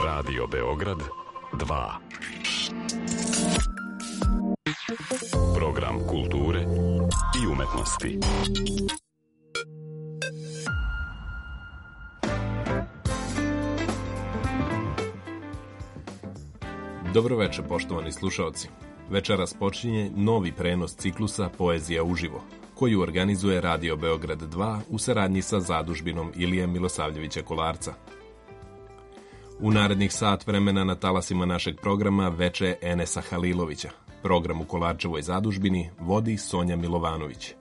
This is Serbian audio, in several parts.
Radio Beograd 2. Program kulture i umetnosti. Dobroveče, poštovani slušaoci. Večeras počinje novi prenos ciklusa Poezija uživo, koju organizuje Radio Beograd 2 u saradnji sa zadužbinom Ilije Milosavljevića Kolarca. U narednih sat vremena na talasima našeg programa veče Enesa Halilovića. Program u Kolarčevoj zadužbini vodi Sonja Milovanović.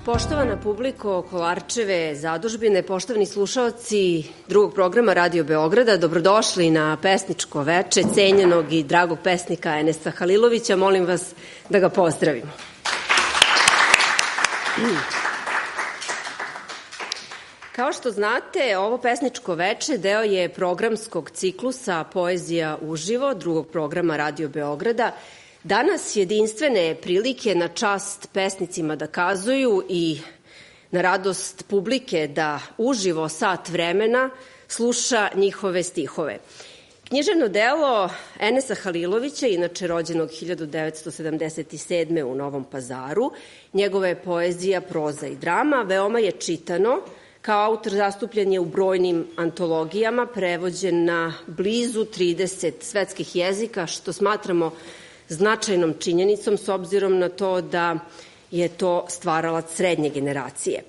Poštovana publiko Kolarčeve zadužbine, poštovani slušaoci drugog programa Radio Beograda, dobrodošli na pesničko veče cenjenog i dragog pesnika Enesa Halilovića. Molim vas da ga pozdravimo. Kao što znate, ovo pesničko veče deo je programskog ciklusa Poezija uživo drugog programa Radio Beograda. Danas jedinstvene prilike na čast pesnicima da kazuju i na radost publike da uživo sat vremena sluša njihove stihove. Književno delo Enesa Halilovića, inače rođenog 1977. u Novom Pazaru, njegova je poezija, proza i drama, veoma je čitano. Kao autor zastupljen je u brojnim antologijama, prevođen na blizu 30 svetskih jezika, što smatramo značajnom činjenicom s obzirom na to da je to stvaralac srednje generacije.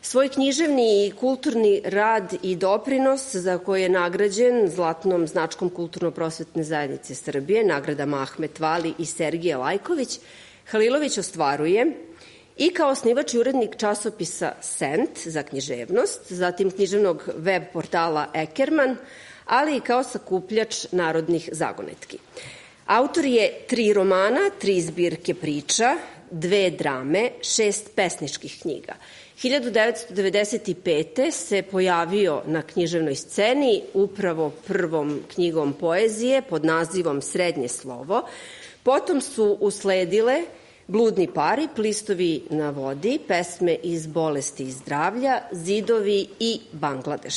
Svoj književni i kulturni rad i doprinos za koji je nagrađen zlatnom značkom Kulturno-prosvetne zajednice Srbije, nagradama Ahmet Vali i Sergije Lajković, Halilović ostvaruje i kao osnivač i urednik časopisa Sent za književnost, zatim književnog web portala Ekerman, ali i kao sakupljač narodnih zagonetki. Autor je 3 romana, 3 zbirke priča, 2 drame, 6 pesničkih knjiga. 1995. se pojavio na književnoj sceni upravo prvom knjigom poezije pod nazivom Srednje slovo. Potom su usledile Bludni parip, Listovi na vodi, Pesme iz bolesti i zdravlja, Zidovi i Bangladeš.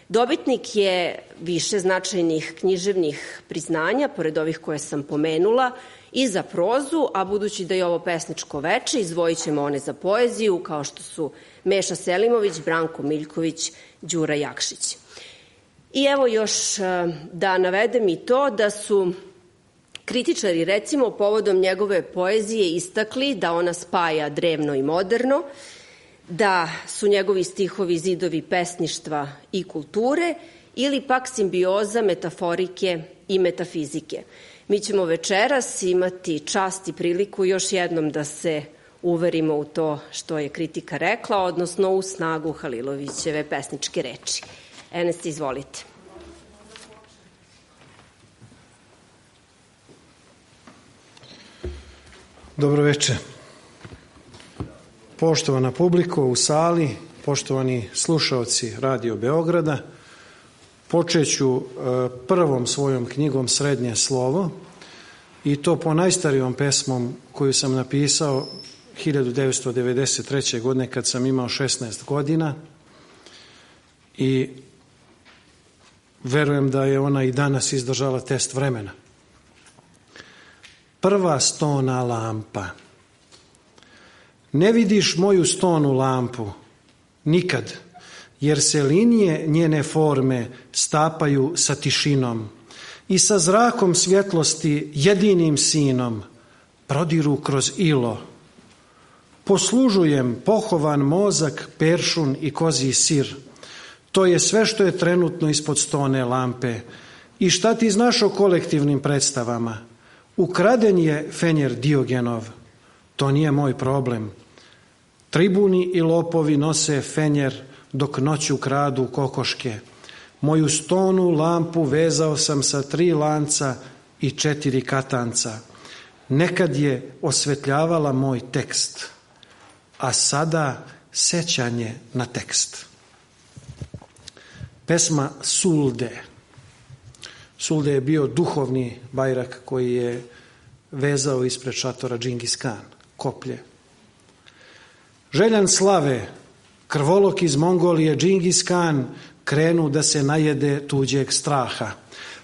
Dobitnik je više značajnih književnih priznanja, pored ovih koje sam pomenula, i za prozu, a budući da je ovo pesničko veče, izdvojit ćemo one za poeziju, kao što su Meša Selimović, Branko Miljković, Đura Jakšić. I evo još da navedem i to da su Kritičari, recimo, povodom njegove poezije istakli da ona spaja drevno i moderno, da su njegovi stihovi zidovi pesništva i kulture ili pak simbioza metaforike i metafizike. Mi ćemo večeras imati čast i priliku još jednom da se uverimo u to što je kritika rekla, odnosno u snagu Halilovićeve pesničke reči. Eneste, izvolite. Dobro večer. Poštovana publiko u sali, poštovani slušaoci Radio Beograda, počet ću prvom svojom knjigom Srednje slovo i to po najstarijom pesmom koju sam napisao 1993. godine kad sam imao 16 godina i verujem da je ona i danas izdržala test vremena. Prva stona lampa. Ne vidiš moju stonu lampu nikad, jer se linije njene forme stapaju sa tišinom i sa zrakom svjetlosti jedinim sinom prodiru kroz ilo. Poslužujem pohovan mozak, peršun i kozji sir. To je sve što je trenutno ispod stone lampe. I šta ti znaš o kolektivnim predstavama? Ukraden je fenjer Diogenov. To nije moj problem. Tribuni i lopovi nose fenjer dok noću kradu kokoške. Moju stonu lampu vezao sam sa 3 lanca i 4 katanca. Nekad je osvetljavala moj tekst, a sada sećanje na tekst. Pesma Sulde. Sulde je bio duhovni bajrak koji je vezao ispred šatora Džingis Kan, koplje. Željan slave, krvolok iz Mongolije Džingis Kan krenu da se najede tuđeg straha,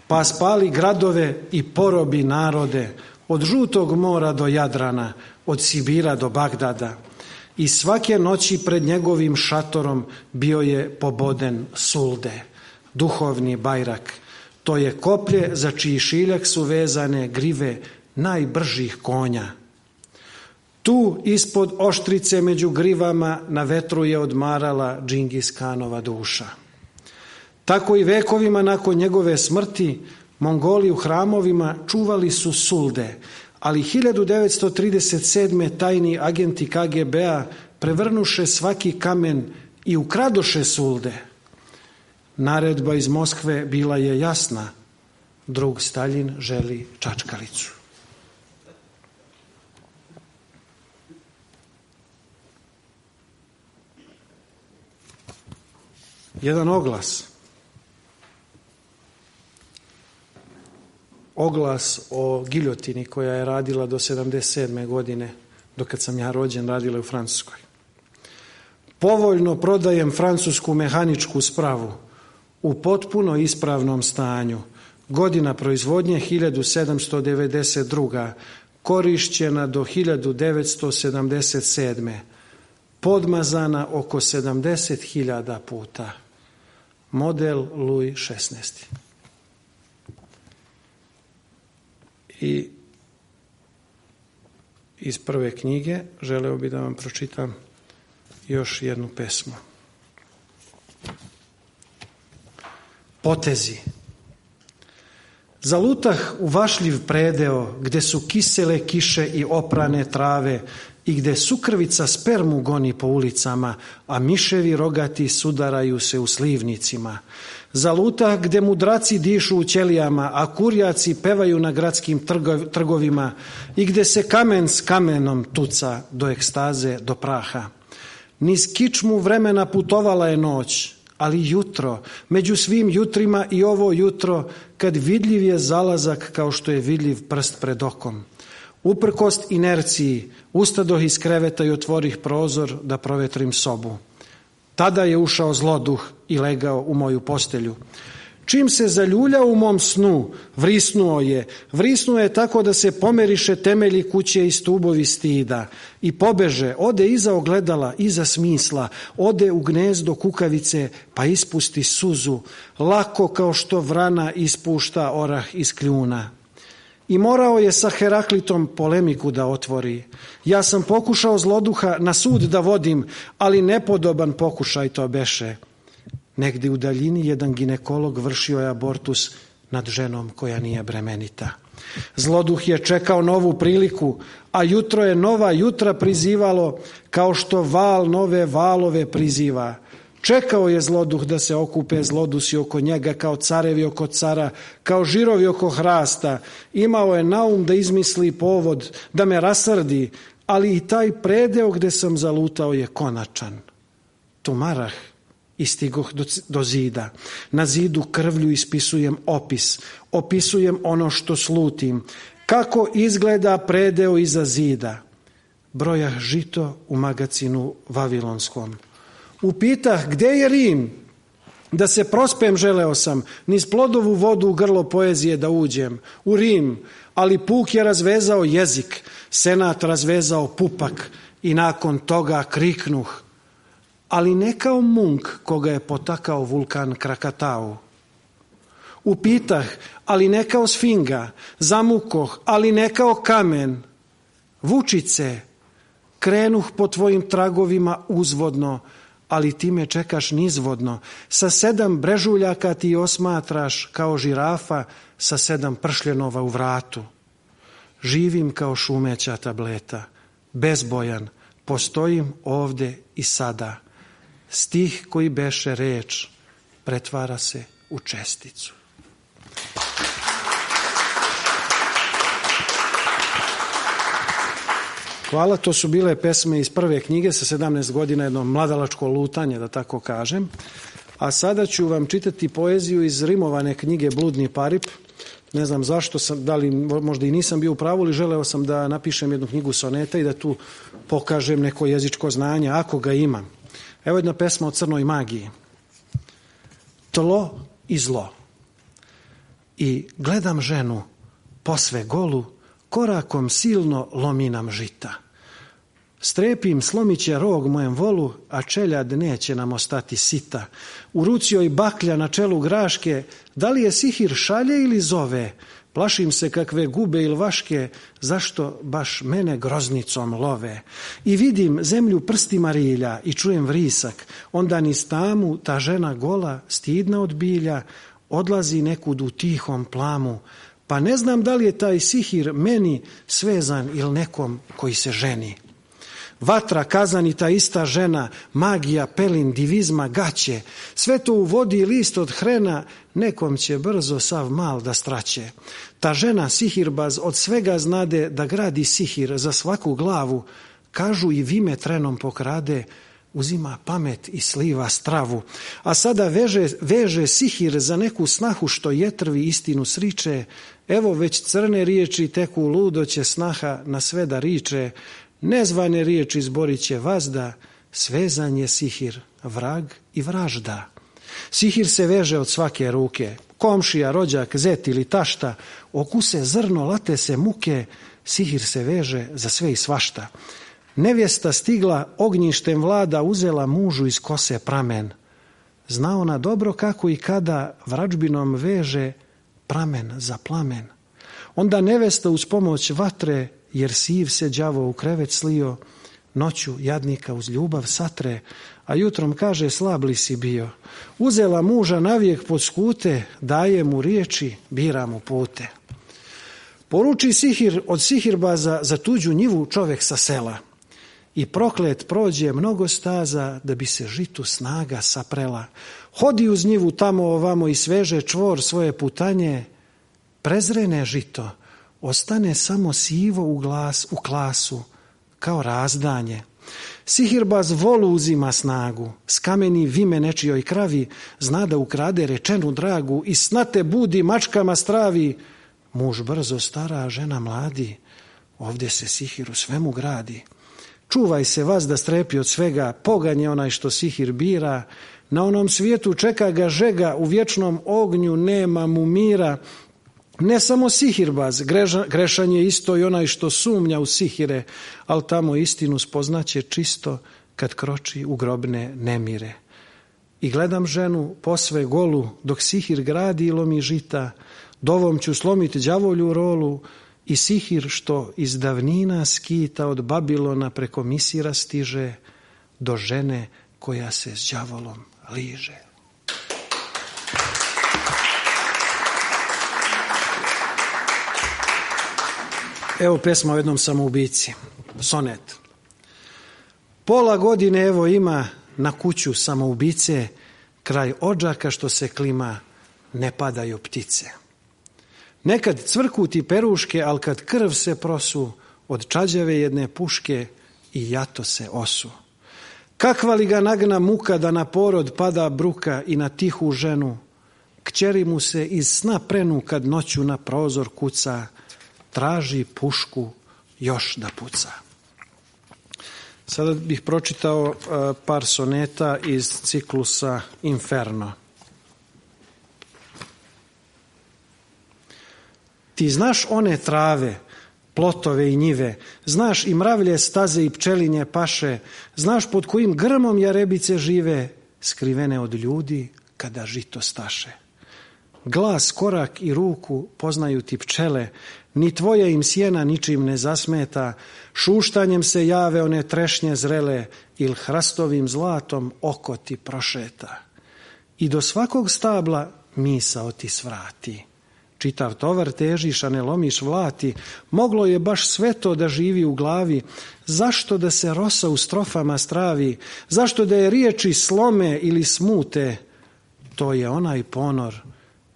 pa spali gradove i porobi narode, od Žutog mora do Jadrana, od Sibira do Bagdada. I svake noći pred njegovim šatorom bio je poboden Sulde, duhovni bajrak. To je koplje za čiji šiljak su vezane grive najbržih konja. Tu ispod oštrice među grivama na vetru je odmarala Džingis Kanova duša. Tako i vekovima nakon njegove smrti Mongoli u hramovima čuvali su Sulde, ali 1937. tajni agenti KGB-a prevrnuše svaki kamen i ukradoše Sulde. Naredba iz Moskve bila je jasna. Drug Staljin želi čačkalicu. Jedan oglas. Oglas o giljotini koja je radila do 77. godine, dokad sam ja rođen, radila u Francuskoj. Povoljno prodajem francusku mehaničku spravu u potpuno ispravnom stanju. Godina proizvodnje 1792. Korišćena do 1977. Podmazana oko 70.000 puta. Model Louis XVI. I iz prve knjige želeo bih da vam pročitam još jednu pesmu. Potezi. Zalutah u vašljiv predeo, gde su kisele kiše i oprane trave i gde sukrvica spermu goni po ulicama, a miševi rogati sudaraju se u slivnicima. Zalutah gde mudraci dišu u ćelijama, a kurjaci pevaju na gradskim trgovima i gde se kamen s kamenom tuca do ekstaze, do praha. Niz kičmu vremena putovala je noć, ali jutro, među svim jutrima i ovo jutro, kad vidljiv je zalazak kao što je vidljiv prst pred okom. Uprkost inerciji, ustadoh iz kreveta i otvorih prozor da provetrim sobu. Tada je ušao zloduh i legao u moju postelju. Čim se zaljuljao u mom snu, vrisnuo je tako da se pomeriše temelji kuće i stubovi stida i pobeže, ode iza ogledala, iza smisla, ode u gnezdo kukavice pa ispusti suzu, lako kao što vrana ispušta orah iz kljuna. i morao je sa Heraklitom polemiku da otvori. Ja sam pokušao zloduha na sud da vodim, ali nepodoban pokušaj to beše. Negdje u daljini jedan ginekolog vršio je abortus nad ženom koja nije bremenita. Zloduh je čekao novu priliku, a jutro je nova jutra prizivalo, kao što val nove valove priziva. Čekao je zloduh da se okupe zlodusi oko njega, kao carevi oko cara, kao žirovi oko hrasta. Imao je naum da izmisli povod, da me rasrdi, ali i taj predeo gde sam zalutao je konačan. Tumarah i stigoh do zida. Na zidu krvlju ispisujem opis, opisujem ono što slutim. Kako izgleda predeo iza zida? Brojah žito u magacinu vavilonskom. Upitah gde je Rim? Da se prospem želeo sam, niz plodovu vodu u grlo poezije da uđem. U Rim, ali puk je razvezao jezik, senat razvezao pupak i nakon toga kriknuh. Ali ne kao munk koga je potakao vulkan Krakatau. Upitah, ali ne kao sfinga, zamukoh, ali ne kao kamen. Vučice, krenuh po tvojim tragovima uzvodno, ali ti me čekaš nizvodno. Sa 7 brežuljaka ti osmatraš kao žirafa sa 7 pršljenova u vratu. Živim kao šumeća tableta, bezbojan, postojim ovde i sada. Stih koji beše reč pretvara se u česticu. Hvala, to su bile pesme iz prve knjige sa 17 godina, jedno mladalačko lutanje, da tako kažem. A sada ću vam čitati poeziju iz rimovane knjige Bludni parip. Ne znam zašto sam, da li možda i nisam bio u pravu, ali želeo sam da napišem jednu knjigu soneta i da tu pokažem neko jezičko znanje, ako ga imam. Evo jedna pesma o crnoj magiji. Tlo i zlo. I gledam ženu posve golu, korakom silno lomi nam žita. Strepim, slomit će rog mojem volu, a čeljad neće nam ostati sita. U ruci joj baklja na čelu graške, da li je sihir šalje ili zove? Plašim se kakve gube ili vaške, zašto baš mene groznicom love. I vidim zemlju prstima rilja i čujem vrisak, onda niz tamu ta žena gola, stidna od bilja, odlazi nekud u tihom plamu. Pa ne znam da li je taj sihir meni svezan ili nekom koji se ženi. Vatra, kazan i ta ista žena, magija, pelin, divizma, gaće, sve to u vodi i list od hrena, nekom će brzo sav mal da straće. Ta žena sihirbaz od svega znade da gradi sihir za svaku glavu, kažu i vime trenom pokrade, uzima pamet i sliva stravu. A sada veže sihir za neku snahu što jetrvi istinu sriče, evo već crne riječi teku ludo će snaha na sve da riče, nezvane riječi zborit će vazda, svezan je sihir, vrag i vražda. Sihir se veže od svake ruke, komšija, rođak, zet ili tašta, okuse zrno, late se muke, sihir se veže za sve i svašta. Nevjesta stigla, ognjištem vlada, uzela mužu iz kose pramen. Zna ona dobro kako i kada vrađbinom veže pramen za plamen. Onda nevesta uz pomoć vatre, jer siv se đavo u krevet slio, noću jadnika uz ljubav satre, a jutrom kaže slab li si bio. Uzela muža navijek pod skute, daje mu riječi, bira mu pute. Poruči sihir od sihirbaza za tuđu njivu čovek sa sela. I proklet prođe mnogo staza da bi se žitu snaga saprela. Hodi uz njivu tamo ovamo i sveže čvor svoje putanje. Prezrene žito, ostane samo sivo u klasu, kao razdanje. Sihirbaz volu uzima snagu, skameni vime nečijoj kravi, zna da ukrade rečenu dragu i snate budi mačkama stravi. Muž brzo stara, žena mladi, ovdje se sihir u svemu gradi. Čuvaj se vas da strepi od svega, pogan je onaj što sihir bira, na onom svijetu čeka ga žega, u vječnom ognju nema mu mira. Ne samo sihirbaz, grešan je isto i onaj što sumnja u sihire, ali tamo istinu spoznaće čisto kad kroči u grobne nemire. I gledam ženu posve golu, dok sihir gradi i lomi žita, Dovom ću slomiti đavolju rolu i sihir što iz davnina skita od Babilona preko Misira stiže do žene koja se s đavolom liže. Evo pesma o jednom samoubici, sonet. Pola godine evo ima na kuću samoubice, kraj odžaka što se klima ne padaju ptice. Nekad cvrku ti peruške, al kad krv se prosu, od čađave jedne puške i jato se osu. Kakva li ga nagna muka da na porod pada bruka i na tihu ženu, kćeri mu se iz sna prenu kad noću na prozor kuca, traži pušku još da puca. Sada bih pročitao par soneta iz ciklusa Inferno. Ti znaš one trave, plotove i njive, znaš i mravlje staze i pčelinje paše, znaš pod kojim grmom jarebice žive, skrivene od ljudi kada žito staše. Glas, korak i ruku poznaju ti pčele, ni tvoja im sjena ničim ne zasmeta, šuštanjem se jave one trešnje zrele, il hrastovim zlatom oko ti prošeta. I do svakog stabla misao ti svrati. Čitav tovar težiš, a ne lomiš vlati, moglo je baš sve to da živi u glavi, zašto da se rosa u strofama stravi, zašto da je riječi slome ili smute, to je onaj ponor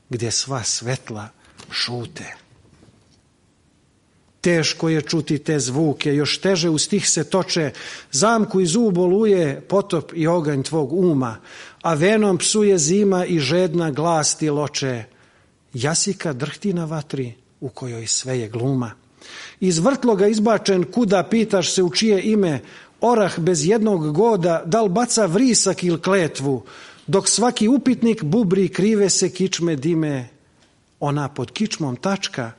gdje sva svetla šute. Teško je čuti te zvuke, još teže u stih se toče, zamku i zub oluje potop i oganj tvog uma, a venom psuje zima i žedna glas ti loče. Jasika drhti na vatri u kojoj sve je gluma. Iz vrtloga izbačen kuda pitaš se u čije ime, orah bez jednog goda dal baca vrisak il kletvu, dok svaki upitnik bubri krive se kičme dime. Ona pod kičmom tačka,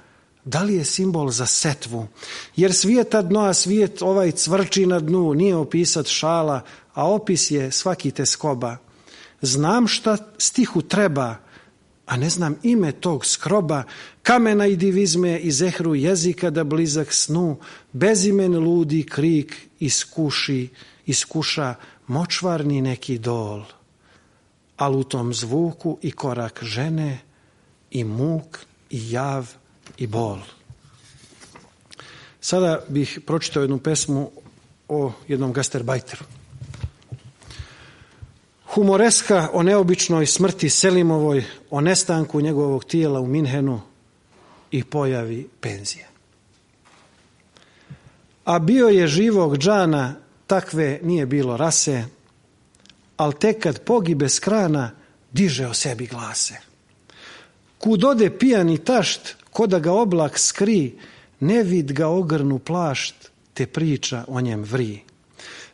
da li je simbol za setvu? Jer svijeta dno, a svijet ovaj cvrči na dnu, nije opisat šala, a opis je svaki teskoba. Znam šta stihu treba, a ne znam ime tog skroba, kamena i divizme i zehru jezika da blizak snu, bezimen ludi krik iskuša močvarni neki dol. Al u tom zvuku i korak žene, i muk, i jav, i bol. Sada bih pročitao jednu pesmu o jednom gastarbajteru. Humoreska o neobičnoj smrti Selimovoj, o nestanku njegovog tijela u Minhenu i pojavi penzije. A bio je živog džana, takve nije bilo rase, al tek kad pogibe s krana, diže o sebi glase. Kud ode pijani tašt, ko da ga oblak skri, ne vid ga ogrnu plašt, te priča o njem vri.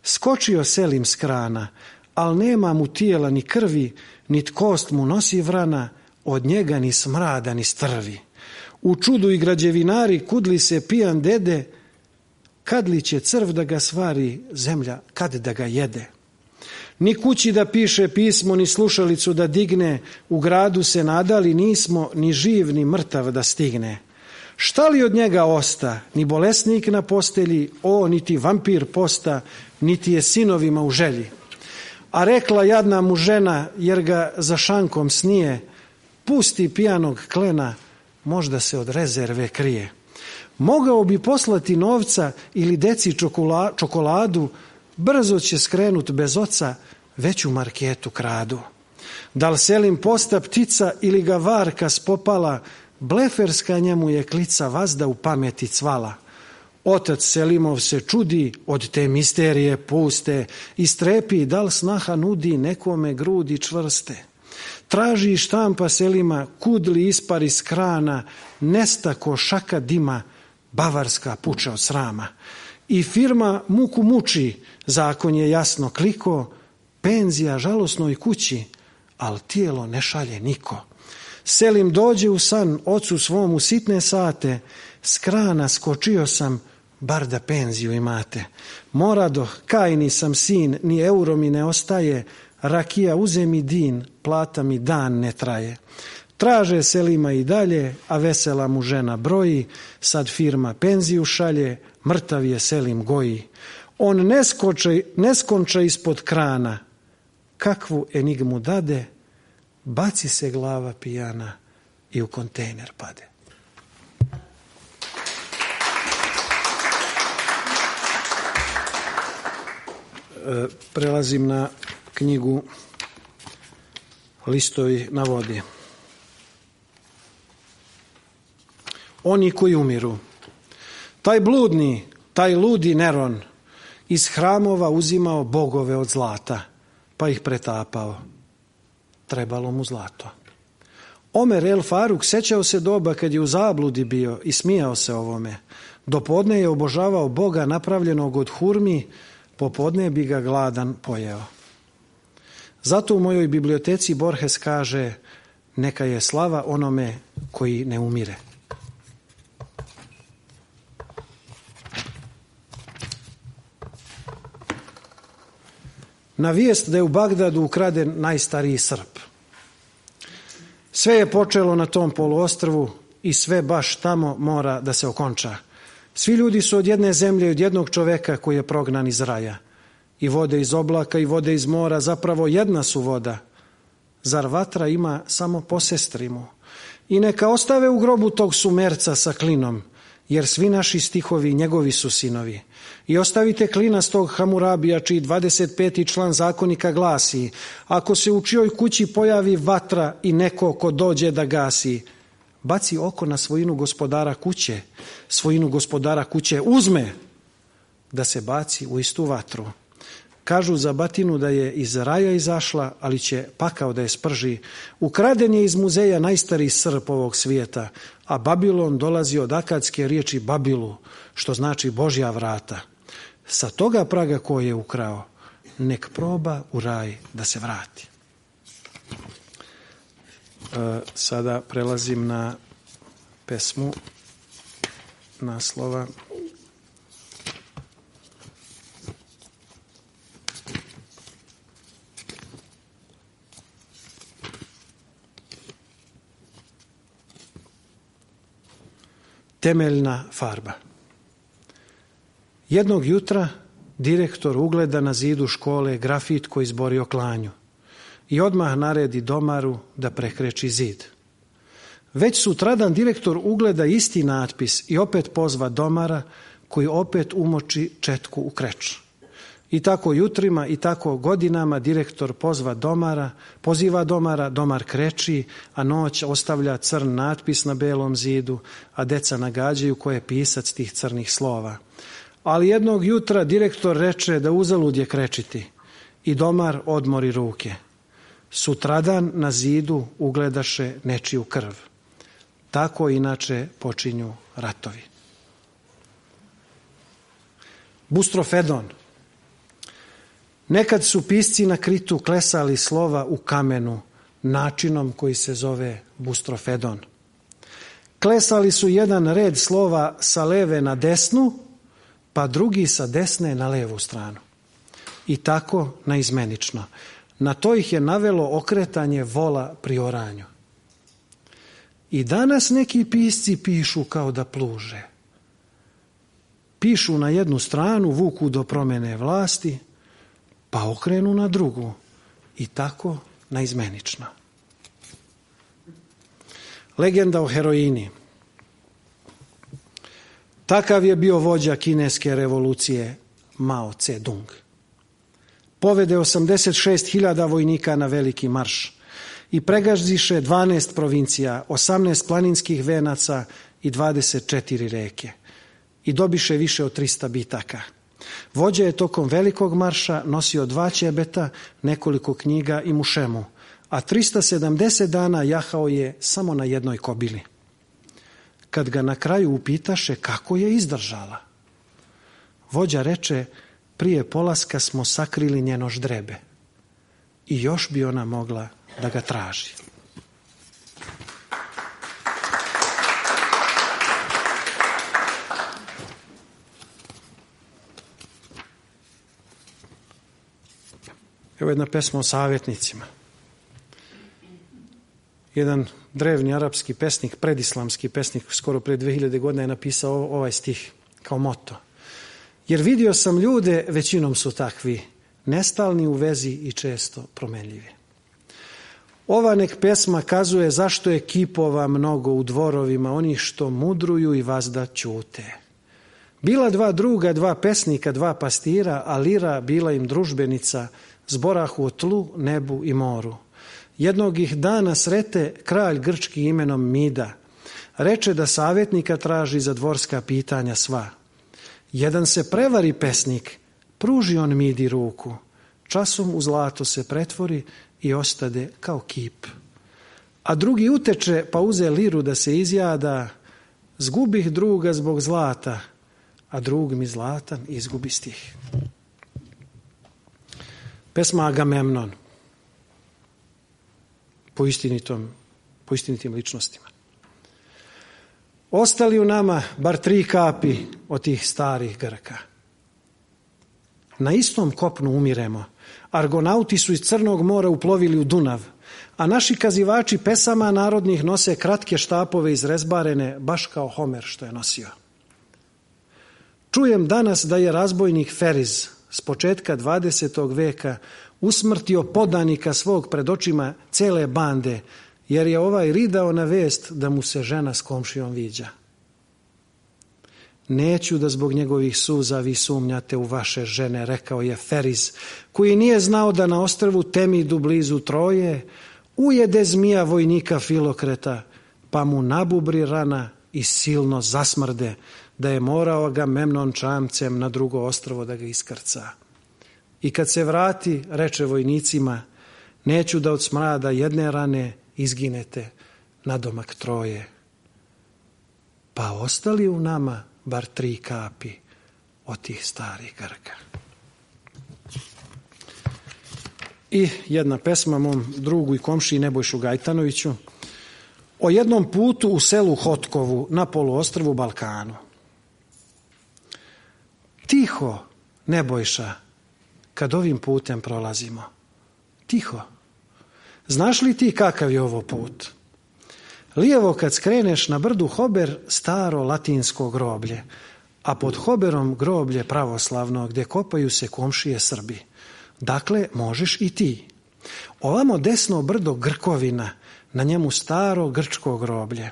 Skočio Selim s krana, al nema mu tijela ni krvi, nit kost mu nosi vrana, od njega ni smrada ni strvi. U čudu i građevinari kudli se pijan dede, kad li će crv da ga svari, zemlja kad da ga jede. Ni kući da piše pismo, ni slušalicu da digne, u gradu se nadali nismo, ni živ ni mrtav da stigne. Šta li od njega osta, ni bolesnik na postelji, niti vampir posta, niti je sinovima u želji. A rekla jadna mu žena, jer ga za šankom snije, pusti pijanog klena, možda se od rezerve krije. Mogao bi poslati novca ili deci čokoladu, brzo će skrenut bez oca, već u marketu kradu. Da li Selim posta ptica ili ga varka spopala, bleferska njemu je klica vazda u pameti cvala. Otac Selimov se čudi od te misterije puste i strepi da li snaha nudi nekome grudi čvrste. Traži štampa Selima, kud li ispari s krana, nesta ko šaka dima, bavarska puče od srama. I firma muku muči, zakon je jasno kliko, penzija žalosnoj kući, al tijelo ne šalje niko. Selim dođe u san ocu svom u sitne sate, s krana skočio sam, bar da penziju imate. Morado, kajni sam sin, ni euro mi ne ostaje, rakija uze mi din, plata mi dan ne traje. Traže Selima i dalje, a vesela mu žena broji, sad firma penziju šalje, mrtav je Selim goji. On ne skonča ispod krana, kakvu enigmu dade, baci se glava pijana i u kontejner pade. Prelazim na knjigu Listovi na vodi. Oni koji umiru. Taj bludni, taj ludi Neron iz hramova uzimao bogove od zlata, pa ih pretapao. Trebalo mu zlato. Omer El Faruk sećao se doba kad je u zabludi bio i smijao se ovome. Dopodne je obožavao Boga napravljenog od hurmi, popodne bi ga gladan pojeo. Zato u mojoj biblioteci Borges kaže: neka je slava onome koji ne umire. Na vijest da je u Bagdadu ukraden najstariji Srb. Sve je počelo na tom poluostrvu i sve baš tamo mora da se okonča. Svi ljudi su od jedne zemlje i od jednog čoveka koji je prognan iz raja. I vode iz oblaka i vode iz mora, zapravo jedna su voda. Zar vatra ima samo po sestrimu? I neka ostave u grobu tog Sumerca sa klinom, jer svi naši stihovi njegovi su sinovi. I ostavite klinastog Hamurabija, čiji 25. član zakonika glasi: ako se u čijoj kući pojavi vatra i neko ko dođe da gasi, baci oko na svojinu gospodara kuće, svojinu gospodara kuće uzme, da se baci u istu vatru. Kažu za batinu da je iz raja izašla, ali će pakao da je sprži. Ukraden je iz muzeja najstariji Srb ovog svijeta, a Babilon dolazi od akadske riječi Babilu, što znači Božja vrata. Sa toga praga ko je ukrao, nek proba u raj da se vrati. Sada prelazim na pesmu naslova Temeljna farba. Jednog jutra direktor ugleda na zidu škole grafit koji zbori o klanju i odmah naredi domaru da prekreči zid. Već sutradan direktor ugleda isti natpis i opet pozva domara koji opet umoči četku u kreč. I tako jutrima i tako godinama direktor poziva domara, domar kreči, a noć ostavlja crn natpis na belom zidu, a deca nagađaju ko je pisac tih crnih slova. Ali jednog jutra direktor reče da uzalud je krečiti i domar odmori ruke. Sutradan na zidu ugledaše nečiju krv. Tako inače počinju ratovi. Bustrofedon. Nekad su pisci na Kritu klesali slova u kamenu načinom koji se zove bustrofedon. Klesali su jedan red slova sa leve na desnu, pa drugi sa desne na levu stranu. I tako naizmenično. Na to ih je navelo okretanje vola pri oranju. I danas neki pisci pišu kao da pluže. Pišu na jednu stranu, vuku do promjene vlasti, pa okrenu na drugu i tako naizmenično. Legenda o heroini. Takav je bio vođa kineske revolucije Mao Tse-dung. Povede 86.000 vojnika na veliki marš i pregazdiše 12 provincija, 18 planinskih venaca i 24 reke. I dobiše više od 300 bitaka. Vođa je tokom velikog marša nosio 2 ćebeta, nekoliko knjiga i mušemu, a 370 dana jahao je samo na jednoj kobili. Kad ga na kraju upitaše kako je izdržala, vođa reče: prije polaska smo sakrili njeno ždrebe i još bi ona mogla da ga traži. Evo jedna pesma o savjetnicima. jedan drevni arapski pesnik, predislamski pesnik, skoro pre 2000 godina je napisao ovaj stih kao moto. Jer vidio sam ljude, većinom su takvi, nestalni u vezi i često promenljivi. Ova nek pesma kazuje zašto je kipova mnogo u dvorovima, oni što mudruju i vazda ćute. Bila dva druga, dva pesnika, dva pastira, a lira bila im družbenica, zborahu o tlu, nebu i moru. Jednog ih dana srete kralj grčki imenom Mida. Reče da savjetnika traži za dvorska pitanja sva. Jedan se prevari pesnik, pruži on Midi ruku. Časom u zlato se pretvori i ostade kao kip. A drugi uteče pa uze liru da se izjada. Zgubih druga zbog zlata, a drug mi zlatan izgubi stih. Pesma Agamemnon. Po istinitim ličnostima. Ostali u nama bar 3 kapi od tih starih Grka. Na istom kopnu umiremo. Argonauti su iz Crnog mora uplovili u Dunav, a naši kazivači pesama narodnih nose kratke štapove izrezbarene, baš kao Homer što je nosio. Čujem danas da je razbojnik Feriz s početka 20. veka usmrtio podanika svog pred očima cele bande, jer je ovaj ridao na vest da mu se žena s komšijom viđa. Neću da zbog njegovih suza vi sumnjate u vaše žene, rekao je Feriz, koji nije znao da na ostrvu Temidu blizu Troje ujede zmija vojnika Filokreta, pa mu nabubri rana i silno zasmrde, da je morao Agamemnon čamcem na drugo ostrvo da ga iskrca. I kad se vrati, reče vojnicima, neću da od smrada jedne rane izginete nadomak Troje. Pa ostali u nama bar 3 kapi od tih starih Grka. I jedna pesma mom drugu i komšiji Nebojšu Gajtanoviću o jednom putu u selu Hotkovu na poluostrvu Balkanu. Tiho, Nebojša, kad ovim putem prolazimo. Tiho. Znaš li ti kakav je ovo put? Lijevo kad skreneš na brdu Hober, staro latinsko groblje, a pod Hoberom groblje pravoslavno gdje kopaju se komšije Srbi. Dakle, možeš i ti. Ovamo desno brdo Grkovina, na njemu staro grčko groblje,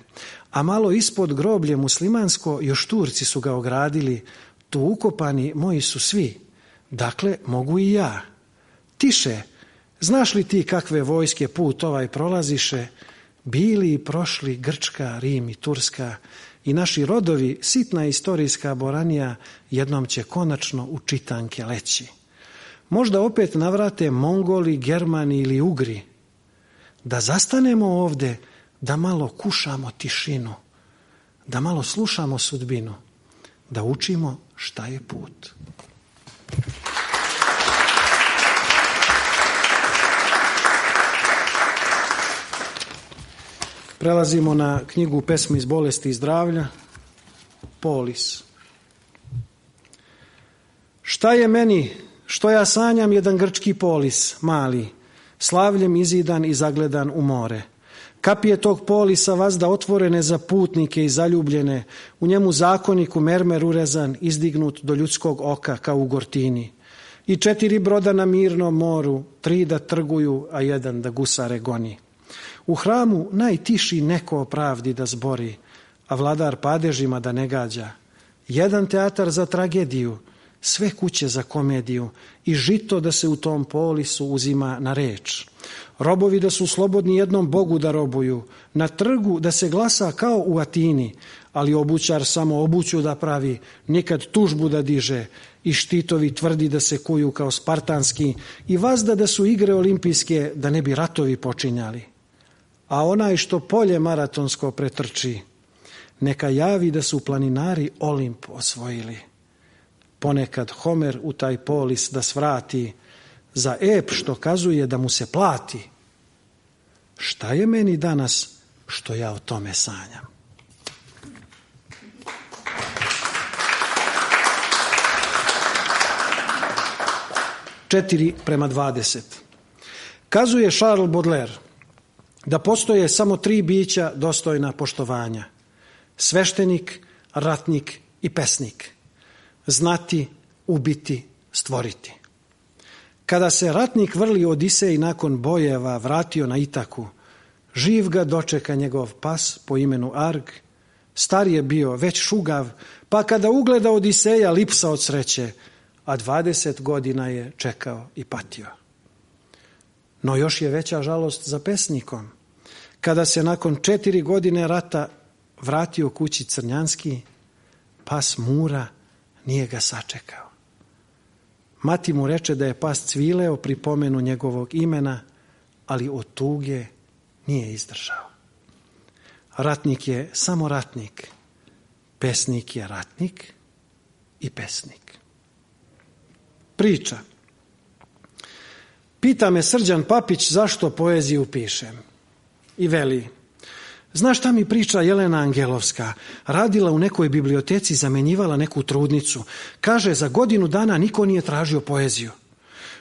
a malo ispod groblje muslimansko još Turci su ga ogradili, tu ukopani moji su svi. Dakle, mogu i ja. Tiše, znaš li ti kakve vojske put ovaj prolaziše? Bili i prošli Grčka, Rim i Turska i naši rodovi, sitna istorijska boranija, jednom će konačno u čitanke leći. Možda opet navrate Mongoli, Germani ili Ugri. Da zastanemo ovde, da malo kušamo tišinu, da malo slušamo sudbinu, da učimo šta je put. Prelazimo na knjigu Pesmi iz bolesti i zdravlja, Polis. Šta je meni, što ja sanjam jedan grčki polis, mali, slavljem izidan i zagledan u more. Kapije tog polisa vazda otvorene za putnike i zaljubljene, u njemu zakonik u mermer urezan, izdignut do ljudskog oka kao u Gortini. I 4 broda na mirnom moru, 3 da trguju, a 1 da gusare goni. U hramu najtiši neko o pravdi da zbori, a vladar padežima da ne gađa. 1 teatar za tragediju, sve kuće za komediju i žito da se u tom polisu uzima na reč. Robovi da su slobodni jednom Bogu da robuju, na trgu da se glasa kao u Atini, ali obućar samo obuću da pravi, nikad tužbu da diže i štitovi tvrdi da se kuju kao spartanski i vazda da su igre olimpijske da ne bi ratovi počinjali. A onaj što polje maratonsko pretrči, neka javi da su planinari Olimp osvojili. Ponekad Homer u taj polis da svrati, za ep što kazuje da mu se plati. Šta je meni danas što ja o tome sanjam? Četiri prema 20. Kazuje Charles Baudelaire, da postoje samo 3 bića dostojna poštovanja: sveštenik, ratnik i pesnik. Znati, ubiti, stvoriti. Kada se ratnik vrli Odisej nakon bojeva vratio na Itaku, živ ga dočeka njegov pas po imenu Arg. Star je bio, već šugav, pa kada ugleda Odiseja lipsa od sreće, a 20 godina je čekao i patio. No još je veća žalost za pesnikom. Kada se nakon 4 godine rata vratio kući Crnjanski, pas Mura nije ga sačekao. Mati mu reče da je pas cvileo pri pomenu njegovog imena, ali od tuge nije izdržao. Ratnik je samo ratnik, pesnik je ratnik i pesnik. Priča. Pita me Srđan Papić zašto poeziju pišem. I veli: znaš šta mi priča Jelena Angelovska? Radila u nekoj biblioteci, zamenjivala neku trudnicu. Kaže, za godinu dana niko nije tražio poeziju.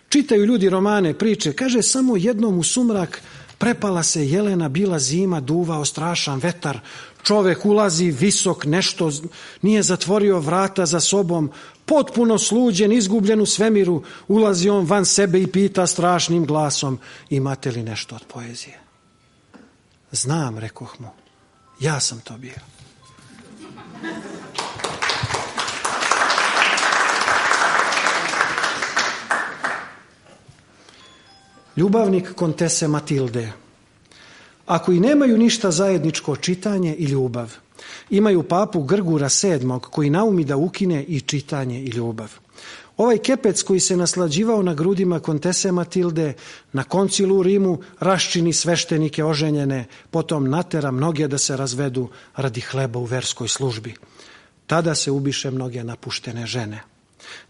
Čitaju ljudi romane, priče. Kaže, samo jednom u sumrak prepala se Jelena, bila zima, duvao strašan vetar. Čovek ulazi visok, nešto nije zatvorio vrata za sobom. Potpuno sluđen, izgubljen u svemiru, ulazi on van sebe i pita strašnim glasom: imate li nešto od poezije? Znam, rekoh mu, ja sam to bio. Ljubavnik kontese Matilde. Ako i nemaju ništa zajedničko čitanje i ljubav, imaju papu Grgura VII koji naumi da ukine i čitanje i ljubav. Ovaj kepec koji se naslađivao na grudima kontese Matilde na koncilu u Rimu raščini sveštenike oženjene, potom natera mnoge da se razvedu radi hleba u verskoj službi. Tada se ubiše mnoge napuštene žene.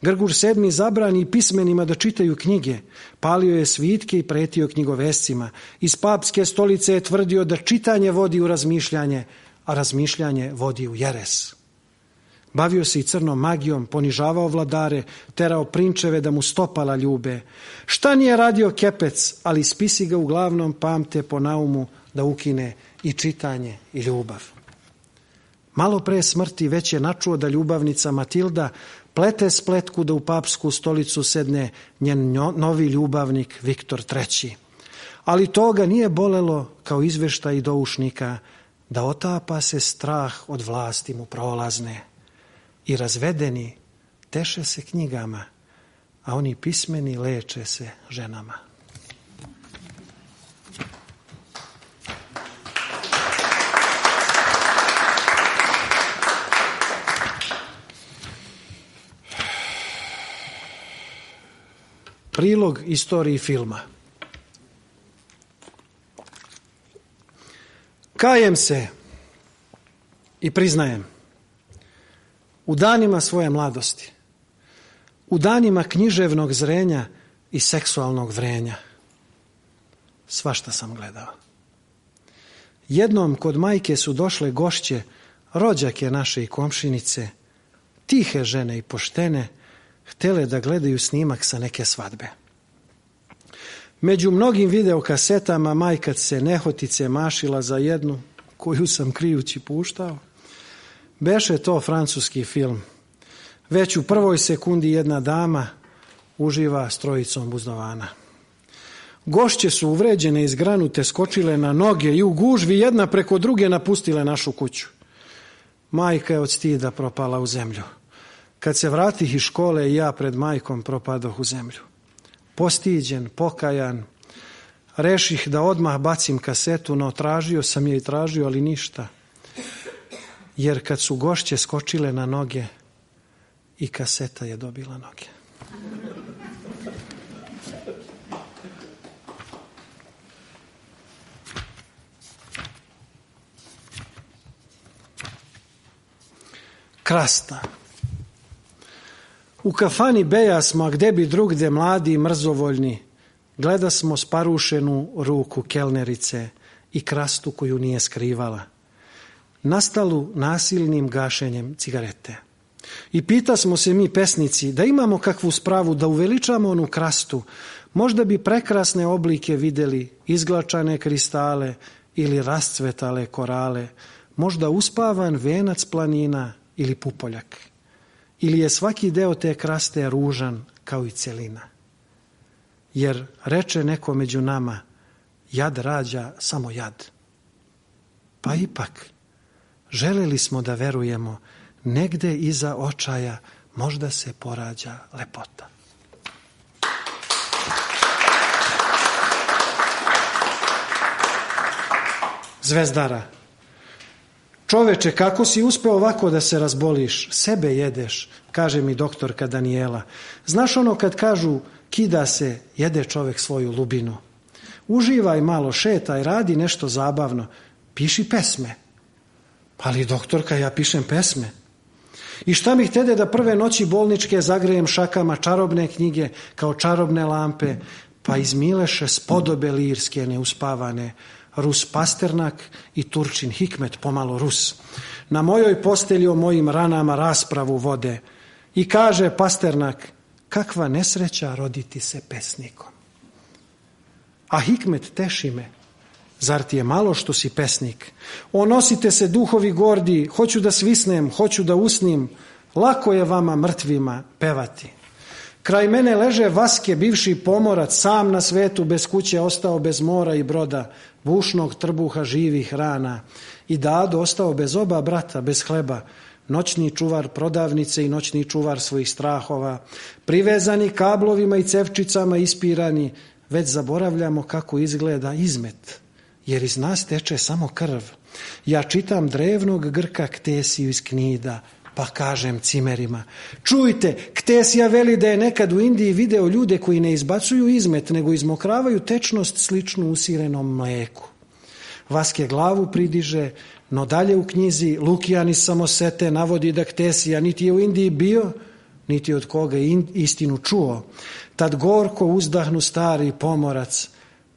Grgur VII zabrani pismenima da čitaju knjige, palio je svitke i pretio knjigovescima. Iz papske stolice je tvrdio da čitanje vodi u razmišljanje, a razmišljanje vodi u jeres. Bavio se i crnom magijom, ponižavao vladare, terao prinčeve da mu stopala ljube. Šta nije radio kepec, ali spisi ga uglavnom pamte po naumu da ukine i čitanje i ljubav. Malo pre smrti već je načuo da ljubavnica Matilda plete spletku da u papsku stolicu sedne njen novi ljubavnik Viktor III. Ali toga nije bolelo kao izveštaj doušnika da otapa se strah od vlasti mu prolazne. I razvedeni teše se knjigama, a oni pismeni leče se ženama. Prilog istoriji filma. Kajem se i priznajem, u danima svoje mladosti, u danima književnog zrenja i seksualnog vrenja, svašta sam gledao. Jednom kod majke su došle gošće, rođake naše i komšinice, tihe žene i poštene, htele da gledaju snimak sa neke svadbe. Među mnogim videokasetama majka se nehotice mašila za jednu, koju sam krijući puštao. Beše to francuski film. Već u prvoj sekundi jedna dama uživa s trojicom buzdovana. Gošće su uvređene i zgranute skočile na noge i u gužvi jedna preko druge napustile našu kuću. Majka je od stida propala u zemlju. Kad se vratih iz škole i ja pred majkom propadoh u zemlju. Postiđen, pokajan, reših da odmah bacim kasetu, no tražio sam je i tražio, ali ništa. Jer kad su gošće skočile na noge, i kaseta je dobila noge. Krasta. U kafani beja smo, a gde bi drugde mladi i mrzovoljni, gleda smo sparušenu ruku kelnerice i krastu koju nije skrivala. Nastalu nasilnim gašenjem cigarete. I pita smo se mi pesnici da imamo kakvu spravu da uveličamo onu krastu, možda bi prekrasne oblike videli, izglačane kristale ili rascvetale korale, možda uspavan venac planina ili pupoljak. Ili je svaki deo te kraste ružan kao i celina. Jer reče neko među nama, jad rađa samo jad. Pa ipak, želeli smo da verujemo, negde iza očaja možda se porađa lepota. Zvezdara. Čoveče, kako si uspeo ovako da se razboliš? Sebe jedeš, kaže mi doktorka Danijela. Znaš ono kad kažu kida se, jede čovek svoju lubinu. Uživaj malo, šetaj, radi nešto zabavno. Piši pesme. Ali doktorka, ja pišem pesme. I šta mi htede da prve noći bolničke zagrejem šakama čarobne knjige kao čarobne lampe, pa izmileše spodobe lirske neuspavane, Rus Pasternak i Turčin Hikmet pomalo Rus. Na mojoj postelji o mojim ranama raspravu vode. I kaže Pasternak, kakva nesreća roditi se pesnikom. A Hikmet teši me, zar ti je malo što si pesnik? O, nosite se duhovi gordi, hoću da svisnem, hoću da usnim, lako je vama mrtvima pevati. Kraj mene leže Vaske, bivši pomorac, sam na svetu, bez kuće, ostao bez mora i broda, bušnog trbuha živih rana. I Dado ostao bez oba brata, bez hleba, noćni čuvar prodavnice i noćni čuvar svojih strahova, privezani kablovima i cevčicama ispirani, već zaboravljamo kako izgleda izmet, jer iz nas teče samo krv. Ja čitam drevnog Grka Ktesiju iz Knida, pa kažem cimerima, čujte, Ktesija veli da je nekad u Indiji video ljude koji ne izbacuju izmet, nego izmokravaju tečnost sličnu usirenom mleku. Vaske glavu pridiže, no dalje u knjizi Lukijan iz Samosete navodi da Ktesija niti je u Indiji bio, niti od koga je istinu čuo. Tad gorko uzdahnu stari pomorac,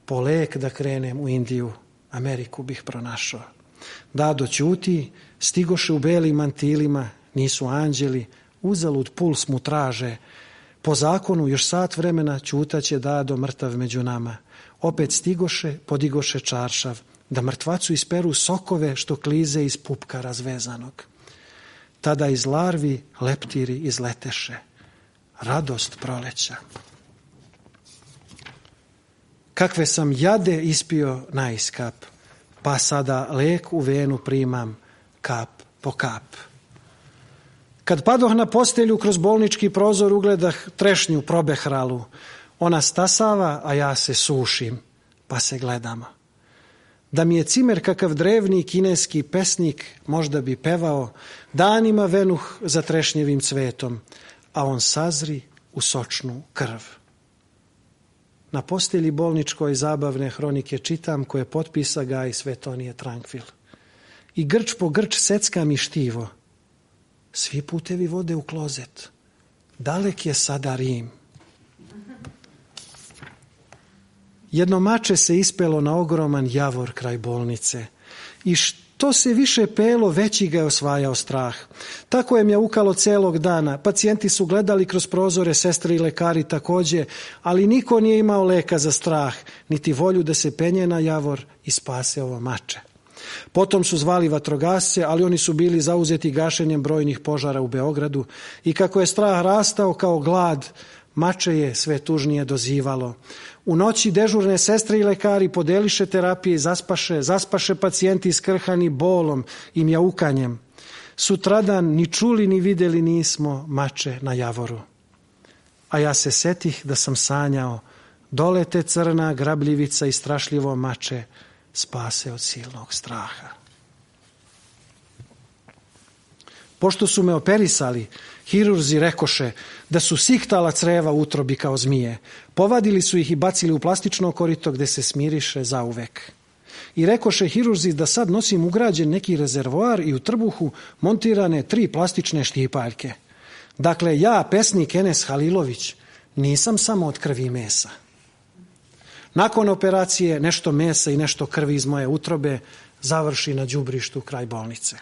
po lek da krenem u Indiju, Ameriku bih pronašao. Dado ćuti, stigoše u belim mantilima, nisu anđeli, uzalud puls mu traže. Po zakonu još sat vremena ćutaće Dado mrtav među nama. Opet stigoše, podigoše čaršav, da mrtvacu isperu sokove što klize iz pupka razvezanog. Tada iz larvi leptiri izleteše. Radost proleća. Kakve sam jade ispio naiskap, pa sada lek u venu primam kap po kap. Kad padoh na postelju kroz bolnički prozor ugledah trešnju probehralu. Ona stasava, a ja se sušim, pa se gledamo. Da mi je cimer kakav drevni kineski pesnik, možda bi pevao, danima venuh za trešnjevim cvetom, a on sazri u sočnu krv. Na postelji bolničkoj zabavne hronike čitam koje potpisa Gaj Svetonije Trankvil. I grč po grč secka mi štivo. Svi putevi vode u klozet. Dalek je sada Rim. Jedno mače se ispelo na ogroman javor kraj bolnice. I što se više pelo, veći ga je osvajao strah. Tako je mjaukalo celog dana. Pacijenti su gledali kroz prozore, sestre i lekari takođe, ali niko nije imao leka za strah, niti volju da se penje na javor i spase ovo mače. Potom su zvali vatrogasce, ali oni su bili zauzeti gašenjem brojnih požara u Beogradu i kako je strah rastao kao glad, mače je sve tužnije dozivalo. U noći dežurne sestre i lekari podeliše terapije i zaspaše pacijenti skrhani bolom i mjaukanjem. Sutradan ni čuli ni videli nismo mače na javoru. A ja se setih da sam sanjao, dolete crna grabljivica i strašljivo mače spase od silnog straha. Pošto su me operisali, hirurzi rekoše da su sihtala creva u utrobi kao zmije. Povadili su ih i bacili u plastično korito gde se smiriše zauvek. I rekoše hirurzi da sad nosim ugrađen neki rezervoar i u trbuhu montirane 3 plastične štipaljke. Dakle, ja, pesnik Enes Halilović, nisam samo od krvi i mesa. Nakon operacije nešto mesa i nešto krvi iz moje utrobe završi na đubrištu kraj bolnice.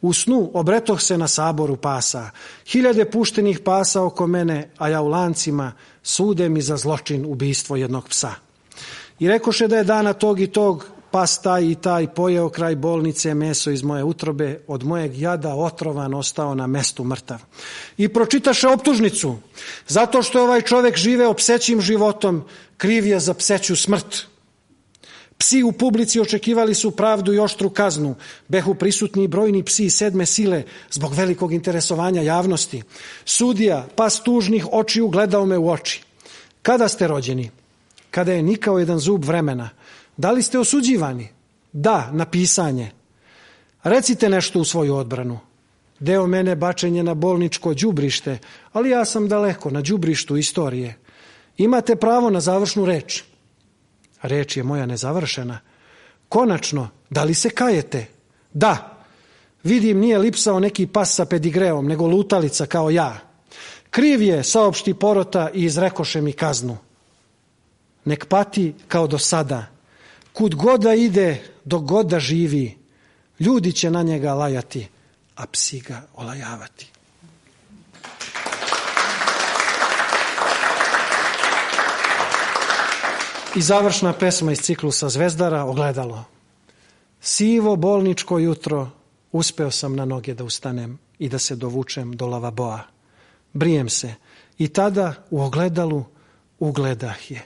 U snu obretoh se na saboru pasa, 1000 puštenih pasa oko mene, a ja u lancima, sude mi za zločin ubistvo jednog psa. I rekoše da je dana tog i tog pas taj i taj pojeo kraj bolnice meso iz moje utrobe, od mojeg jada otrovan ostao na mestu mrtav. I pročitaše optužnicu, zato što je ovaj čovek živeo psećim životom, kriv je za pseću smrt. Psi u publici očekivali su pravdu i oštru kaznu, behu prisutni brojni psi 7. sile zbog velikog interesovanja javnosti. Sudija, pas tužnih očiju, gledao me u oči. Kada ste rođeni? Kada je nikao jedan zub vremena. Da li ste osuđivani? Da, na pisanje. Recite nešto u svoju odbranu. Deo mene bačen je na bolničko đubrište, ali ja sam daleko na đubrištu istorije. Imate pravo na završnu reč. Reč je moja nezavršena. Konačno, da li se kajete? Da. Vidim, nije lipsao neki pas sa pedigreom, nego lutalica kao ja. Kriv je, saopšti porota i izrekoše mi kaznu. Nek pati kao do sada. Kud god da ide, dok god da živi, ljudi će na njega lajati, a psi ga olajavati. I završna pesma iz ciklusa Zvezdara, Ogledalo. Sivo bolničko jutro, uspeo sam na noge da ustanem i da se dovučem do lavaboa. Brijem se i tada u ogledalu ugledah je.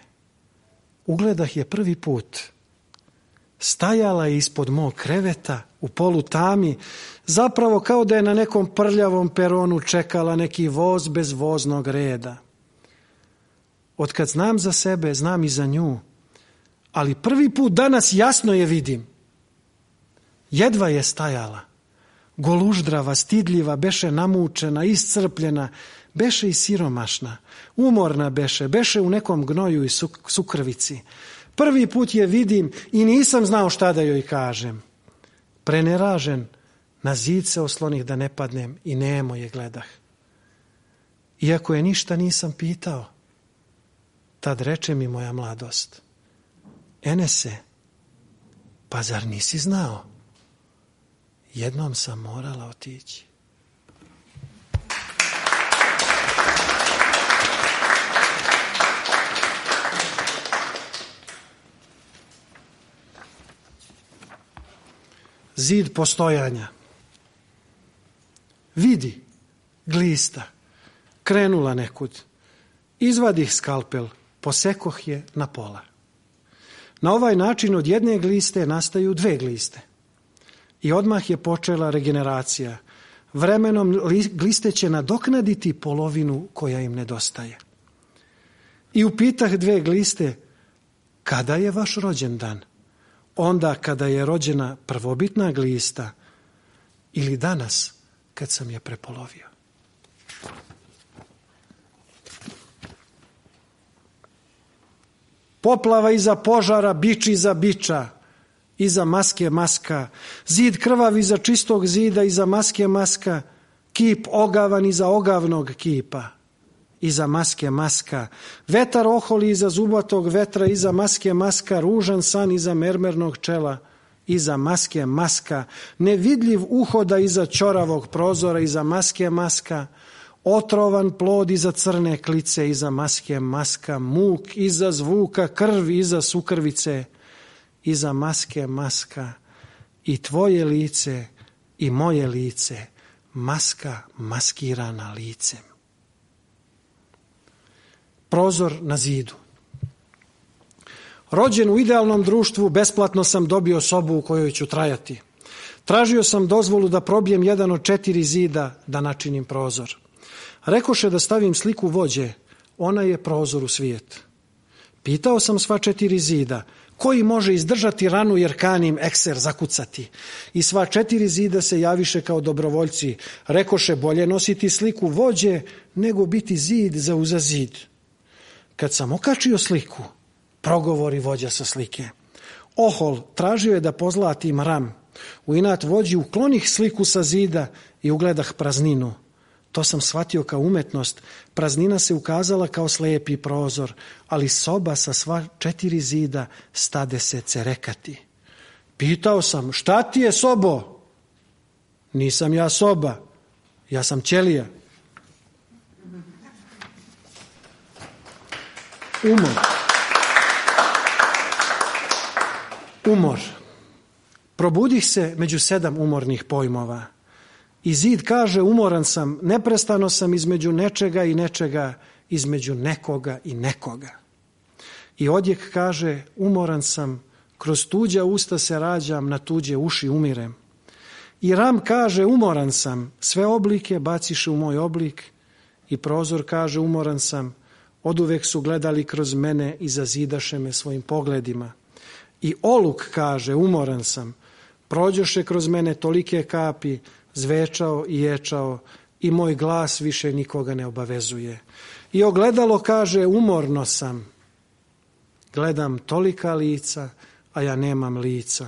Ugledah je prvi put. Stajala je ispod mog kreveta u polutami, zapravo kao da je na nekom prljavom peronu čekala neki voz bez voznog reda. Otkad znam za sebe, znam i za nju, ali prvi put danas jasno je vidim. Jedva je stajala, goluždrava, stidljiva, beše namučena, iscrpljena, beše i siromašna, umorna beše u nekom gnoju i sukrvici. Prvi put je vidim i nisam znao šta da joj kažem. Preneražen, na zid se oslonih da ne padnem i nemo je gledah. Iako je ništa nisam pitao, tad reče mi moja mladost: Enese, pa zar nisi znao? Jednom sam morala otići. Zid postojanja. Vidi, glista, krenula nekud. Izvadih skalpel, posekoh je na pola. Na ovaj način od jedne gliste nastaju 2 gliste. I odmah je počela regeneracija. Vremenom gliste će nadoknaditi polovinu koja im nedostaje. I upitah 2 gliste: kada je vaš rođendan? Onda kada je rođena prvobitna glista ili danas kad sam je prepolovio. Poplava iza požara, bič iza biča, iza maske maska, zid krvav iza čistog zida, iza maske maska, kip ogavan iza ogavnog kipa, iza maske maska, vetar oholi iza zubatog vetra, iza maske maska, ružan san iza mermernog čela, iza maske maska, nevidljiv uhoda iza ćoravog prozora, iza maske maska, otrovan plod iza crne klice, iza maske maska, muk iza zvuka, krv iza sukrvice, iza maske maska, i tvoje lice i moje lice, maska maskirana licem. Prozor na zidu. Rođen u idealnom društvu, besplatno sam dobio sobu u kojoj ću trajati. Tražio sam dozvolu da probijem jedan od 4 zida da načinim prozor. Rekoše da stavim sliku vođe, ona je prozor u svijet. Pitao sam sva 4 zida, koji može izdržati ranu jer kanim ekser zakucati. I sva 4 zida se javiše kao dobrovoljci. Rekoše, bolje nositi sliku vođe nego biti zid za uza zid. Kad sam okačio sliku, progovori vođa sa slike: Ohol, tražio je da pozlatim ram. U inat vođi uklonih sliku sa zida i ugledah prazninu. To sam shvatio kao umetnost. Praznina se ukazala kao slepi prozor, ali soba sa sva 4 zida stade se cerekati. Pitao sam, šta ti je, sobo? Nisam ja soba, ja sam ćelija. Umor. Probudih se među 7 umornih pojmova. I zid kaže, umoran sam, neprestano sam između nečega i nečega, između nekoga i nekoga. I odjek kaže, umoran sam, kroz tuđa usta se rađam, na tuđe uši umirem. I ram kaže, umoran sam, sve oblike baciše u moj oblik. I prozor kaže, umoran sam, oduvek su gledali kroz mene i zazidaše me svojim pogledima. I oluk kaže, umoran sam, prođoše kroz mene tolike kapi, zvečao i ječao i moj glas više nikoga ne obavezuje. I ogledalo kaže, umorno sam, gledam tolika lica, a ja nemam lica.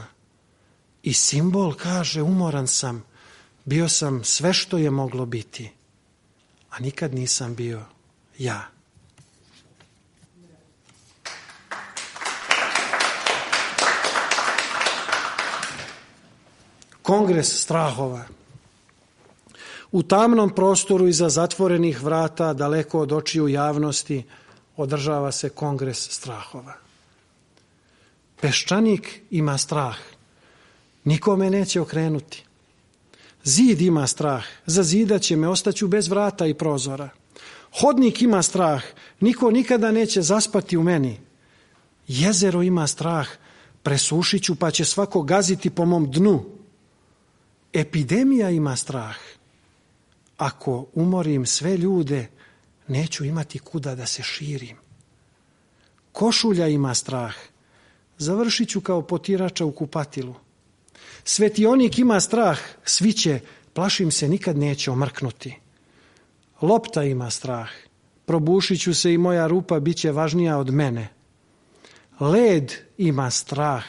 I simbol kaže, umoran sam, bio sam sve što je moglo biti, a nikad nisam bio ja. Kongres strahova. U tamnom prostoru iza zatvorenih vrata, daleko od očiju javnosti, održava se kongres strahova. Peščanik ima strah, nikome neće okrenuti. Zid ima strah, zazidat će me, ostaću bez vrata i prozora. Hodnik ima strah, niko nikada neće zaspati u meni. Jezero ima strah, presušit ću pa će svako gaziti po mom dnu. Epidemija ima strah. Ako umorim sve ljude, neću imati kuda da se širim. Košulja ima strah. Završit ću kao potirača u kupatilu. Svetionik ima strah. Sviće, plašim se, nikad neće omrknuti. Lopta ima strah. Probušit ću se i moja rupa bit će važnija od mene. Led ima strah.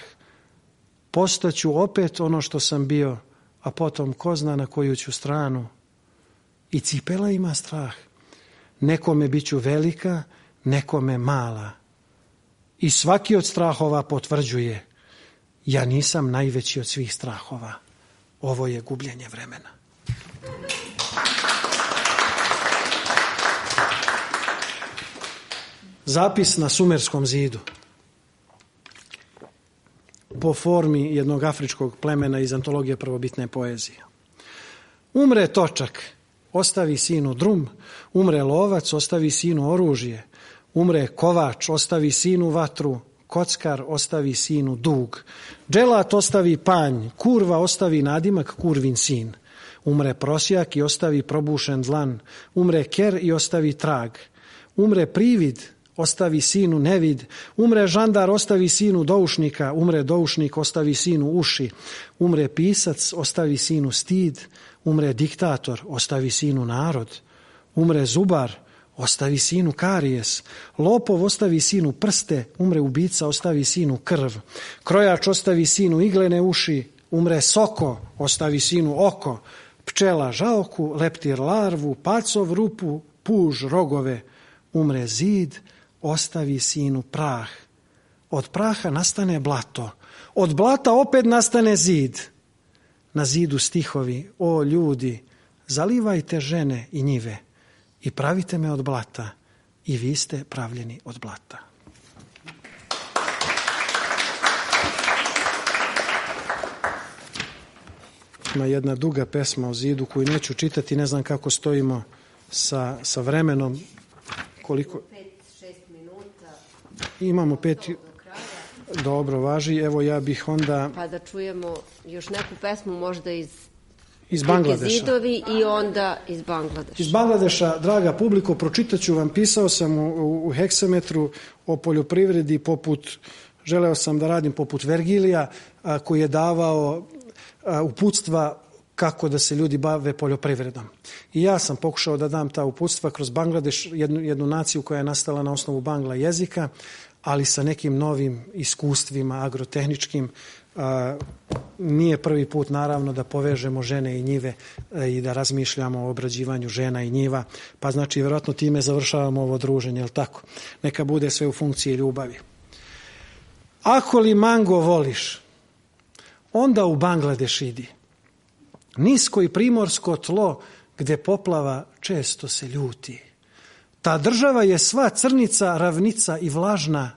Postaću opet ono što sam bio, a potom ko zna na koju ću stranu. I cipela ima strah. Nekome bit ću velika, nekome mala. I svaki od strahova potvrđuje, ja nisam najveći od svih strahova. Ovo je gubljenje vremena. Zapis na Sumerskom zidu. Po formi jednog afričkog plemena iz antologije prvobitne poezije. Umre točak, ostavi sinu drum, umre lovac, ostavi sinu oružje, umre kovač, ostavi sinu vatru, kockar ostavi sinu dug, dželat ostavi panj, kurva ostavi nadimak, kurvin sin, umre prosjak i ostavi probušen dlan, umre ker i ostavi trag, umre privid, ostavi sinu nevid, umre žandar, ostavi sinu doušnika, umre doušnik, ostavi sinu uši, umre pisac, ostavi sinu stid, umre diktator, ostavi sinu narod, umre zubar, ostavi sinu karijes, lopov ostavi sinu prste, umre ubica, ostavi sinu krv, krojač ostavi sinu iglene uši, umre soko, ostavi sinu oko, pčela žaoku, leptir larvu, pacov rupu, puž rogove, umre zid, ostavi sinu prah. Od praha nastane blato, od blata opet nastane zid. Na zidu stihovi, o ljudi, zalivajte žene i njive i pravite me od blata i vi ste pravljeni od blata. Ima jedna duga pesma o zidu koju neću čitati, ne znam kako stojimo sa vremenom. Koliko? 5-6 minuta. Imamo 5. Dobro, važi. Evo ja bih onda... Pa da čujemo još neku pesmu možda iz Bangladeša. Zidovi i onda iz Bangladeša. Iz Bangladeša, draga publiko, pročitat ću vam, pisao sam u heksametru o poljoprivredi želeo sam da radim poput Vergilija, koji je davao uputstva kako da se ljudi bave poljoprivredom. I ja sam pokušao da dam ta uputstva kroz Bangladeš, jednu naciju koja je nastala na osnovu bangla jezika, ali sa nekim novim iskustvima agrotehničkim. Nije prvi put naravno da povežemo žene i njive i da razmišljamo o obrađivanju žena i njiva, pa znači vjerojatno time završavamo ovo druženje, jel tako? Neka bude sve u funkciji ljubavi. Ako li mango voliš, onda u Bangladeš idi. nisko i primorsko tlo gde poplava često se ljuti. Ta država je sva crnica, ravnica i vlažna,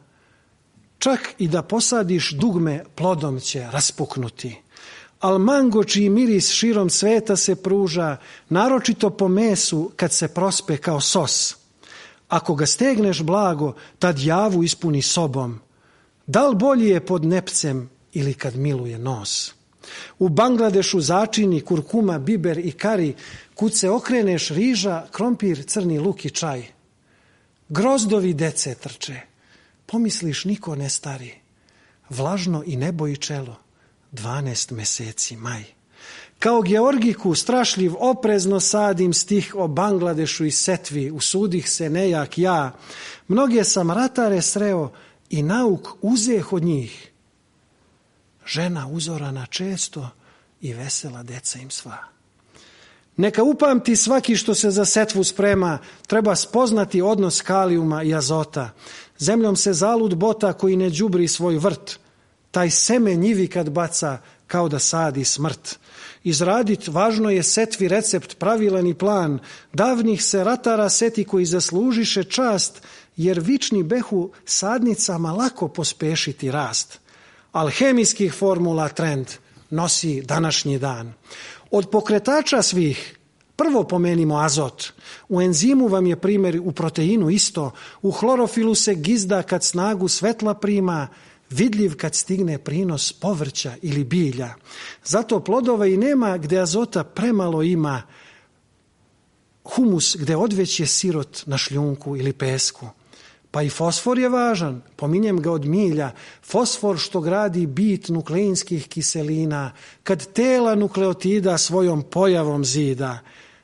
čak i da posadiš dugme plodom će raspuknuti. Al mango čiji miris širom sveta se pruža, naročito po mesu kad se prospe kao sos. Ako ga stegneš blago, tad javu ispuni sobom. Da li bolji je pod nepcem ili kad miluje nos? U Bangladešu začini kurkuma, biber i kari, kud se okreneš riža, krompir, crni luk i čaj. Grozdovi dece trče, pomisliš niko ne stari, vlažno i nebo i čelo, 12 meseci maj. Kao Georgiku strašljiv oprezno sadim stih o Bangladešu i setvi, usudih se nejak ja, mnoge sam ratare sreo i nauk uzeh od njih. Žena uzorana često i vesela deca im sva. Neka upamti svaki što se za setvu sprema, treba spoznati odnos kalijuma i azota. Zemljom se zalud bota koji ne đubri svoj vrt. Taj seme njivi kad baca kao da sadi smrt. Izradit važno je setvi recept, pravilan i plan. Davnih se ratara seti koji zaslužiše čast, jer vični behu sadnicama lako pospešiti rast. Alhemijskih formula trend nosi današnji dan. Od pokretača svih prvo pomenimo azot. U enzimu vam je primjer u proteinu isto. U hlorofilu se gizda kad snagu svetla prima, vidljiv kad stigne prinos povrća ili bilja. Zato plodova i nema gde azota premalo ima. Humus gde odveć je sirot na šljunku ili pesku. Pa i fosfor je važan, pominjem ga od milja, fosfor što gradi bit nukleinskih kiselina, kad tela nukleotida svojom pojavom zida.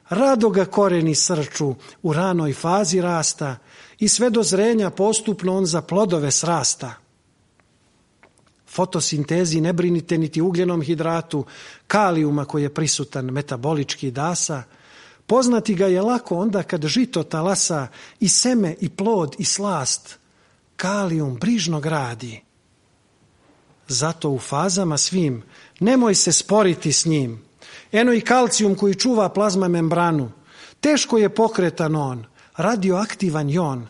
Rado ga koreni srču u ranoj fazi rasta i sve do zrenja postupno on za plodove srasta. Fotosintezi ne brinite niti ugljenom hidratu, kalijuma koji je prisutan metabolički dasa. Poznati ga je lako onda kad žito talasa i seme i plod i slast. Kalijum brižno gradi. Zato u fazama svim nemoj se sporiti s njim. Eno i kalcijum koji čuva plazma membranu. Teško je pokretan on, radioaktivan je on,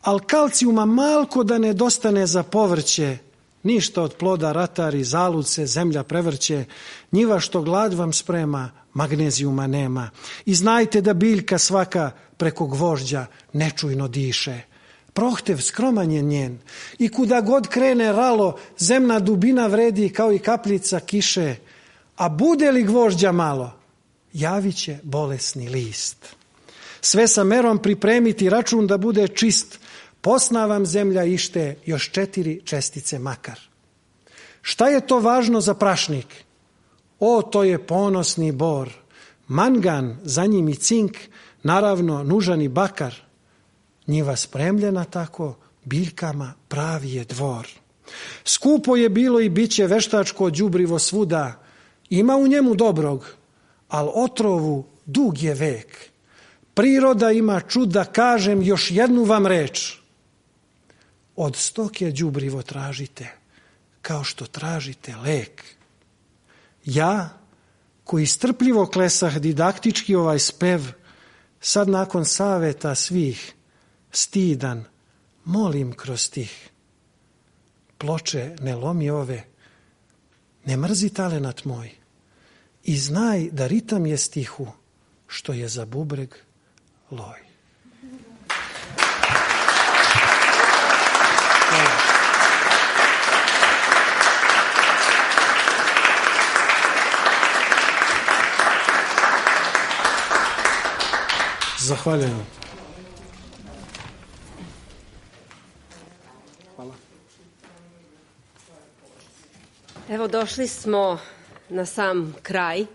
al kalcijuma malko da nedostane za povrće. Ništa od ploda ratari, zalud se zemlja prevrće, njiva što glad vam sprema, magnezijuma nema. I znajte da biljka svaka preko gvožđa nečujno diše. Prohtev skroman je njen i kuda god krene ralo, zemna dubina vredi kao i kapljica kiše. A bude li gvožđa malo, javit će bolesni list. Sve sa merom pripremiti račun da bude čist, posna vam zemlja ište još 4 čestice makar. Šta je to važno za prašnik? O, to je ponosni bor. Mangan, za njim i cink, naravno nužan i bakar. Njiva spremljena tako, biljkama pravi je dvor. Skupo je bilo i biće veštačko đubrivo svuda. Ima u njemu dobrog, al otrovu dug je vek. Priroda ima čuda, kažem još jednu vam reč. Od stoke đubrivo tražite, kao što tražite lek. Ja, koji strpljivo klesah didaktički ovaj spev, sad nakon saveta svih, stidan, molim kroz stih. Ploče ne lomi ove, ne mrzi talenat moj i znaj da ritam je stihu, što je za bubreg loj. Zahvaljujem. Hvala. Evo, došli smo na sam kraj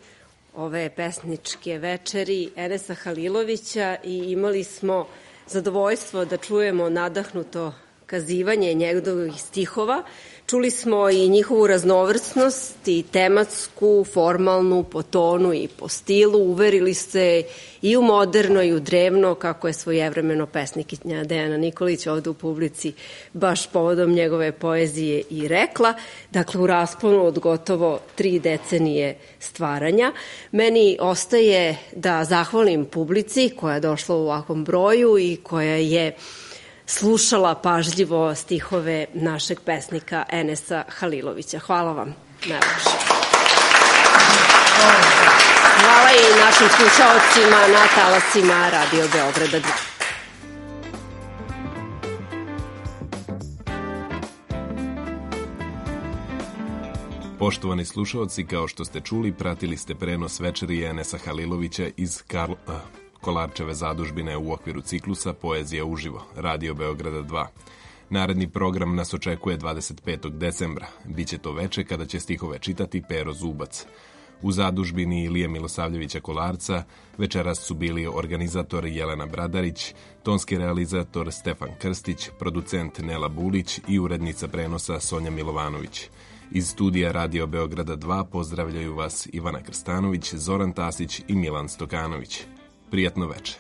ove pesničke večeri Enesa Halilovića i imali smo zadovoljstvo da čujemo nadahnuto kazivanje njegovih stihova. Čuli smo i njihovu raznovrsnost i tematsku, formalnu, po tonu i po stilu. Uverili ste i u moderno i u drevno, kako je svojevremeno pesnikinja Dejana Nikolić ovde u publici baš povodom njegove poezije i rekla. Dakle, u rasponu od gotovo 3 decenije stvaranja. Meni ostaje da zahvalim publici koja je došla u ovakvom broju i koja je slušala pažljivo stihove našeg pesnika Enesa Halilovića. Hvala vam najlepše. Hvala i našim slušaocima na talasima Radio Beograda 2. Poštovani slušaoci, kao što ste čuli, pratili ste prenos večeri Enesa Halilovića iz Kolarčeve zadužbine u okviru ciklusa Poezija uživo, Radio Beograda 2. Naredni program nas očekuje 25. decembra. Biće to veče kada će stihove čitati Pero Zubac. U zadužbini Ilije Milosavljevića Kolarca večeras su bili organizator Jelena Bradarić, tonski realizator Stefan Krstić, producent Nela Bulić i urednica prenosa Sonja Milovanović. Iz studija Radio Beograda 2 pozdravljaju vas Ivana Krstanović, Zoran Tasić i Milan Stokanović. Prijatno veče.